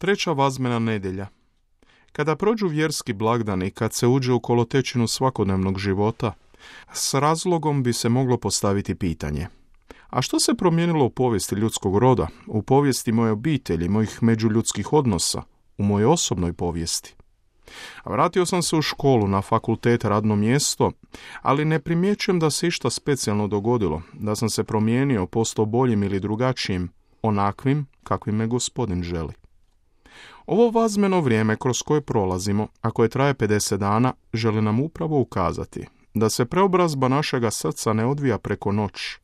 Treća vazmena nedjelja. Kada prođu vjerski blagdani, kad se uđe u kolotečinu svakodnevnog života, s razlogom bi se moglo postaviti pitanje: a što se promijenilo u povijesti ljudskog roda, u povijesti moje obitelji, mojih međuljudskih odnosa, u mojoj osobnoj povijesti? Vratio sam se u školu, na fakultet, radno mjesto, ali ne primjećujem da se išta specijalno dogodilo, da sam se promijenio, postao boljim ili drugačijim, onakvim kakvim me Gospodin želi. Ovo vazmeno vrijeme kroz koje prolazimo, a koje traje 50 dana, želi nam upravo ukazati da se preobrazba našega srca ne odvija preko noći,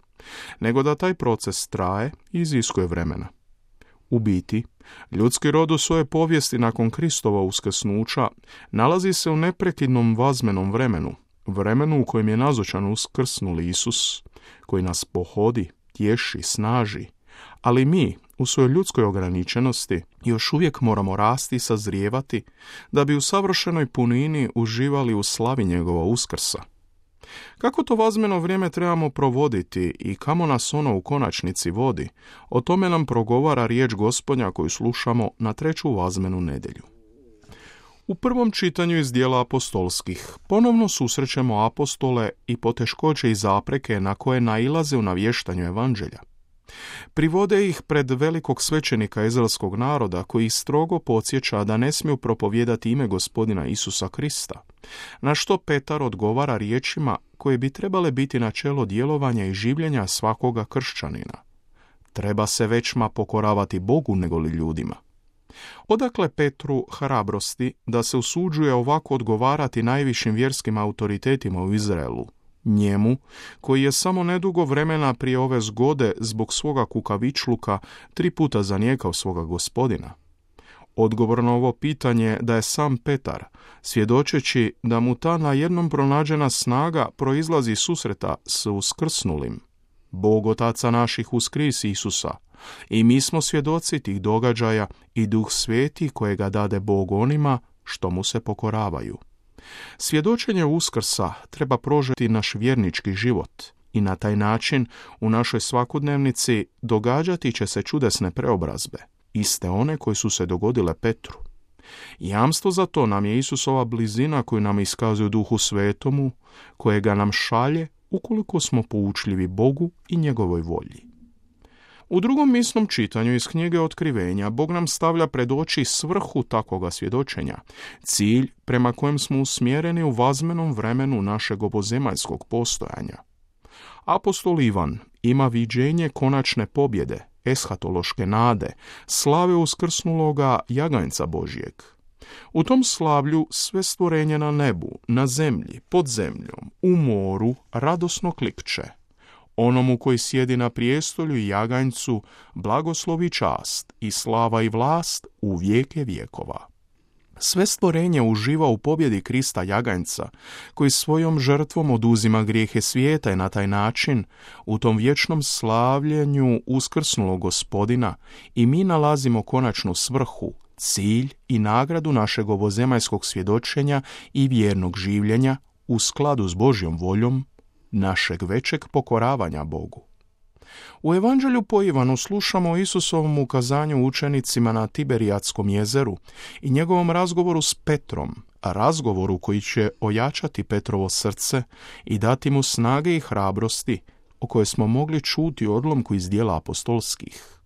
nego da taj proces traje i iziskuje vremena. U biti, ljudski rod u svojoj povijesti nakon Kristova uskrsnuća nalazi se u neprekidnom vazmenom vremenu u kojem je nazočan uskrsnuli Isus, koji nas pohodi, tješi, snaži, ali mi, u svojoj ljudskoj ograničenosti, još uvijek moramo rasti i sazrijevati da bi u savršenoj punini uživali u slavi njegova uskrsa. Kako to vazmeno vrijeme trebamo provoditi i kamo nas ono u konačnici vodi, o tome nam progovara riječ Gospodnja koju slušamo na treću vazmenu nedjelju. U prvom čitanju iz dijela apostolskih ponovno susrećemo apostole i poteškoće i zapreke na koje nailaze u navještanju evanđelja. Privode ih pred velikog svećenika izraelskog naroda koji strogo podsjeća da ne smiju propovijedati ime Gospodina Isusa Krista, na što Petar odgovara riječima koje bi trebale biti načelo djelovanja i življenja svakoga kršćanina. Treba se većma pokoravati Bogu nego li ljudima. Odakle Petru hrabrosti da se usuđuje ovako odgovarati najvišim vjerskim autoritetima u Izraelu, njemu koji je samo nedugo vremena prije ove zgode zbog svoga kukavičluka 3 puta zanijekao svoga Gospodina? Odgovor na ovo pitanje da je sam Petar, svjedočeći da mu ta na jednom pronađena snaga proizlazi iz susreta s uskrsnulim. Bog Otaca naših uskrisi Isusa, i mi smo svjedoci tih događaja i Duh Sveti kojega dade Bog onima što mu se pokoravaju. Svjedočenje uskrsa treba prožeti naš vjernički život i na taj način u našoj svakodnevnici događati će se čudesne preobrazbe, iste one koje su se dogodile Petru. Jamstvo za to nam je Isusova blizina koju nam iskazuje Duhu Svetomu, kojega nam šalje ukoliko smo poučljivi Bogu i njegovoj volji. U drugom misnom čitanju iz knjige Otkrivenja Bog nam stavlja pred oči svrhu takvoga svjedočenja, cilj prema kojem smo usmjereni u vazmenom vremenu našeg ovozemaljskog postojanja. Apostol Ivan ima viđenje konačne pobjede, eshatološke nade, slave uskrsnuloga jaganjca Božjeg. U tom slavlju sve stvorenje na nebu, na zemlji, pod zemljom, u moru radosno klikće. Onomu koji sjedi na prijestolju i jaganjcu blagoslov i čast i slava i vlast u vijeke vjekova. Sve stvorenje uživa u pobjedi Krista jaganjca, koji svojom žrtvom oduzima grijehe svijeta i na taj način u tom vječnom slavljenju uskrsnulog Gospodina i mi nalazimo konačnu svrhu, cilj i nagradu našeg ovozemaljskog svjedočenja i vjernog življenja u skladu s Božjom voljom, našeg većeg pokoravanja Bogu. U Evanđelju po Ivanu slušamo o Isusovom ukazanju učenicima na Tiberijatskom jezeru i njegovom razgovoru s Petrom, a razgovoru koji će ojačati Petrovo srce i dati mu snage i hrabrosti o kojoj smo mogli čuti u odlomku iz dijela apostolskih.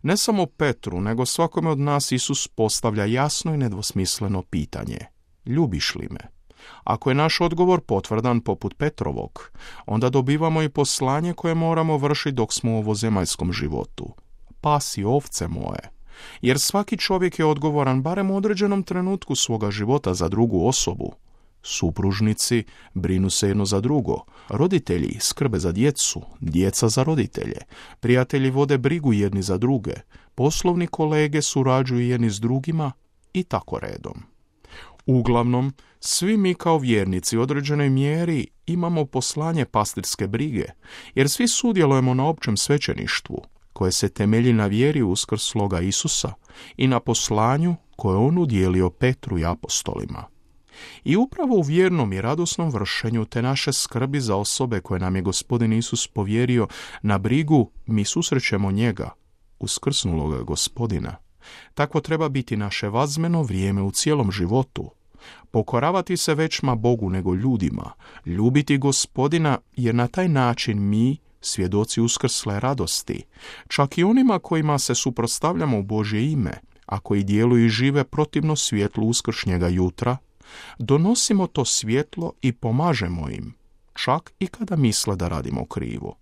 Ne samo Petru, nego svakome od nas Isus postavlja jasno i nedvosmisleno pitanje: ljubiš li me? Ako je naš odgovor potvrdan poput Petrovog, onda dobivamo i poslanje koje moramo vršiti dok smo u ovozemaljskom životu. Pasi ovce moje. Jer svaki čovjek je odgovoran barem u određenom trenutku svoga života za drugu osobu. Supružnici brinu se jedno za drugo, roditelji skrbe za djecu, djeca za roditelje, prijatelji vode brigu jedni za druge, poslovni kolege surađuju jedni s drugima i tako redom. Uglavnom, svi mi kao vjernici u određenoj mjeri imamo poslanje pastirske brige, jer svi sudjelujemo na općem svećeništvu, koje se temelji na vjeri uskrsloga Isusa i na poslanju koje on udjelio Petru i apostolima. I upravo u vjernom i radosnom vršenju te naše skrbi za osobe koje nam je Gospodin Isus povjerio na brigu, mi susrećemo njega, uskrsnuloga Gospodina, Takvo treba biti naše vazmeno vrijeme u cijelom životu. Pokoravati se većma Bogu nego ljudima, ljubiti Gospodina, jer na taj način mi, svjedoci uskrsle radosti, čak i onima kojima se suprotstavljamo u Božje ime, a koji djeluju i žive protivno svjetlu uskršnjega jutra, donosimo to svjetlo i pomažemo im, čak i kada misle da radimo krivo.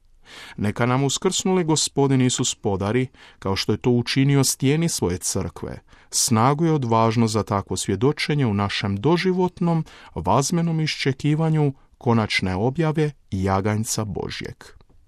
Neka nam uskrsnuli Gospodin Isus podari, kao što je to učinio stijeni svoje crkve, snagu i odvažnost za takvo svjedočenje u našem doživotnom, vazmenom iščekivanju konačne objave jaganjca Božjeg.